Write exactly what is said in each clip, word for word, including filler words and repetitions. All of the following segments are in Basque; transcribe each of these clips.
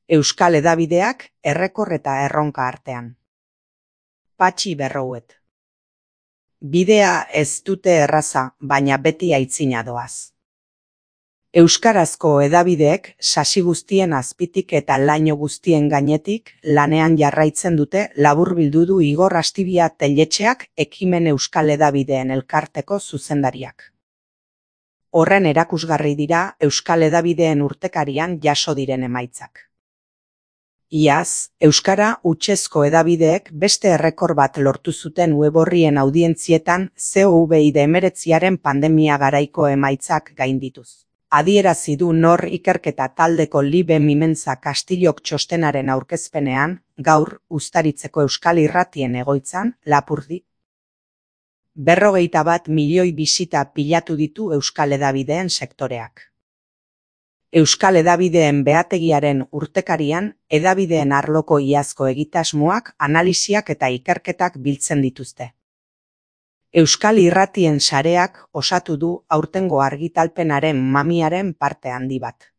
Euskal hedabideak errekor eta erronka artean. Patxi Berrouet. Bidea ez dute erraza, baina beti aitzina doaz. Euskarazko hedabideek sasi guztien azpitik eta laino guztien gainetik lanean jarraitzen dute laburbildu du Igor Astibia Telletxeak Ekimen Euskal Hedabideen Elkarteko zuzendariak. Horren erakusgarri dira Euskal Hedabideen urtekarian jaso diren emaitzak. Iaz, euskara hutsezko hedabideek beste errekor bat lortu zuten web orrien audientzietan covid hemeretziaren pandemia garaiko emaitzak gaindituz. Adierazi du Nor ikerketa taldeko Libe Mimentza Kastillok txostenaren aurkezpenean, gaur, Uztaritzeko Euskal Irratien egoitzan, Lapurdi. Berrogeita bat milioi bisita pilatu ditu Euskal Hedabideen sektoreak. Euskal Hedabideen behategiaren urtekarian, hedabideen arloko iazko egitasmoak, analisiak eta ikerketak biltzen dituzte. Euskal Irratien sareak osatu du aurtengo argitalpenaren mamiaren parte handi bat.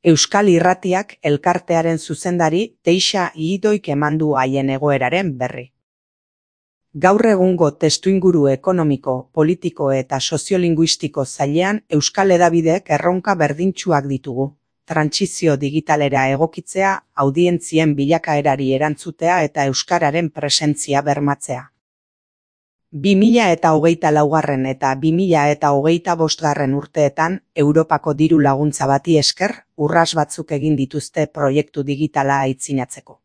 Euskal Irratiak elkartearen zuzendari Teixa Idoik eman du haien egoeraren berri. Gaur egungo testuinguru ekonomiko, politiko eta soziolinguistiko zailean Euskal Hedabideek erronka berdintsuak ditugu. Trantsizio digitalera egokitzea, audientzien bilakaerari erantzutea eta euskararen presentzia bermatzea. bi mila eta hogeita laugarren eta bi mila eta hogeita bostgarren urteetan Europako diru laguntza bati esker urras batzuk egin dituzte proiektu digitala aitzinatzeko.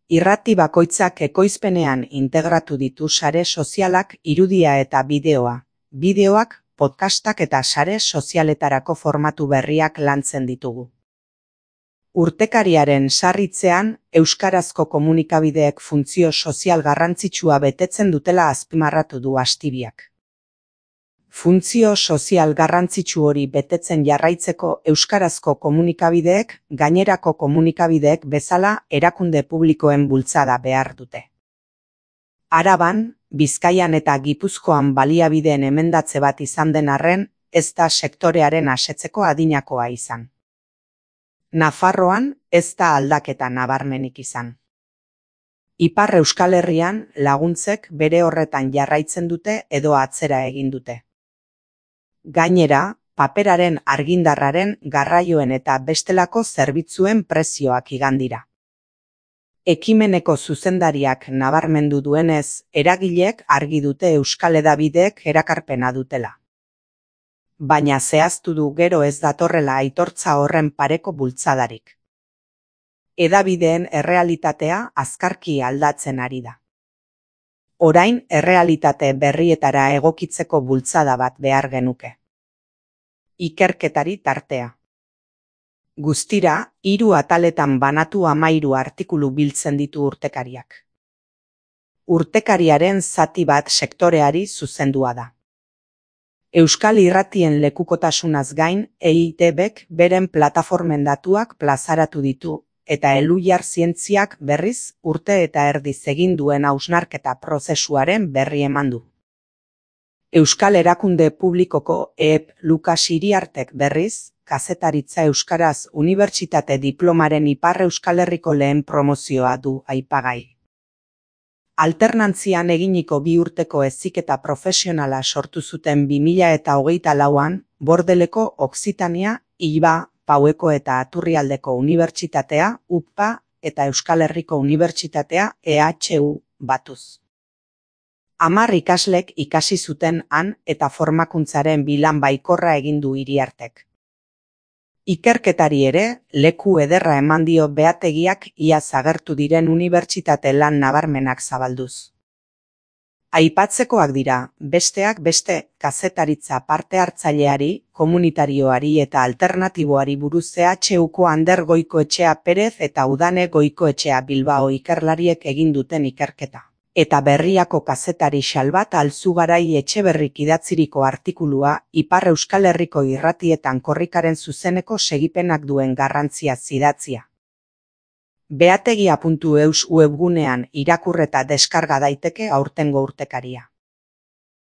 Irrati bakoitzak ekoizpenean integratu ditu sare sozialak, irudia eta bideoa. Bideoak, podcastak eta sare sozialetarako formatu berriak lantzen ditugu. Urtekariaren sarritzean, euskarazko komunikabideek funtzio sozial garrantzitsua betetzen dutela azpimarratu du Astibiak. Funtzio sozial garrantzitsu hori betetzen jarraitzeko euskarazko komunikabideek gainerako komunikabideek bezala erakunde publikoen bultzada behar dute. Araban, Bizkaian eta Gipuzkoan baliabideen emendatze bat izan den arren, ez da sektorearen asetzeko adinakoa izan. Nafarroan ez da aldaketa nabarmenik izan. Ipar Euskal Herrian laguntzek bere horretan jarraitzen dute edo atzera egin dute. Gainera, paperaren argindarraren garraioen eta bestelako zerbitzuen prezioak igan dira. Ekimeneko zuzendariak nabarmendu duenez, eragileek argi dute Euskal Hedabideek erakarpena dutela. Baina zehaztu du gero ez datorrela aitortza horren pareko bultzadarik. Hedabideen errealitatea azkarki aldatzen ari da. Orain errealitate berrietara egokitzeko bultzada bat behar genuke. Ikerketari tartea. Guztira, hiru ataletan banatu hamairu artikulu biltzen ditu urtekariak. Urtekariaren zati bat sektoreari zuzendua da. Euskal Irratien lekukotasunaz gain, E I T Bek beren plataformen datuak plazaratu ditu, eta Elujar Zientziak berriz urte eta erdiz egin duen hausnarketa prozesuaren berri eman du. Euskal Erakunde Publikoko E P Lukas Iriartek berriz, kazetaritza euskaraz unibertsitate diplomaren Ipar Euskal Herriko lehen promozioa du aipagai. Alternantzian eginiko bi urteko heziketa profesionala sortu zuten bi mila eta hogeita lauan, Bordeleko Okzitania, Iba, Paueko eta Aturrialdeko Unibertsitatea, U P A, eta Euskal Herriko Unibertsitatea, E H U, batuz. Hamar ikaslek ikasi zuten han eta formakuntzaren bilan baikorra egin du Iriartek. Ikerketari ere, leku ederra eman dio behategiak iaz agertu diren unibertsitate lan nabarmenak zabalduz. Aipatzekoak dira, besteak beste, kazetaritza parte hartzaileari, komunitarioari eta alternatiboari buruz E H Uko Ander Goikoetxea Perez eta Udane Goikoetxea Bilbao ikerlariek egin duten ikerketa. Eta Berriako kazetari Xalbat Alzugarai Etxeberrik idatziriko artikulua Ipar Euskal Herriko irratietan korrikaren zuzeneko segipenak duen garrantzia zidatzia. behategia puntu eus webgunean irakur eta deskarga daiteke aurtengo urtekaria.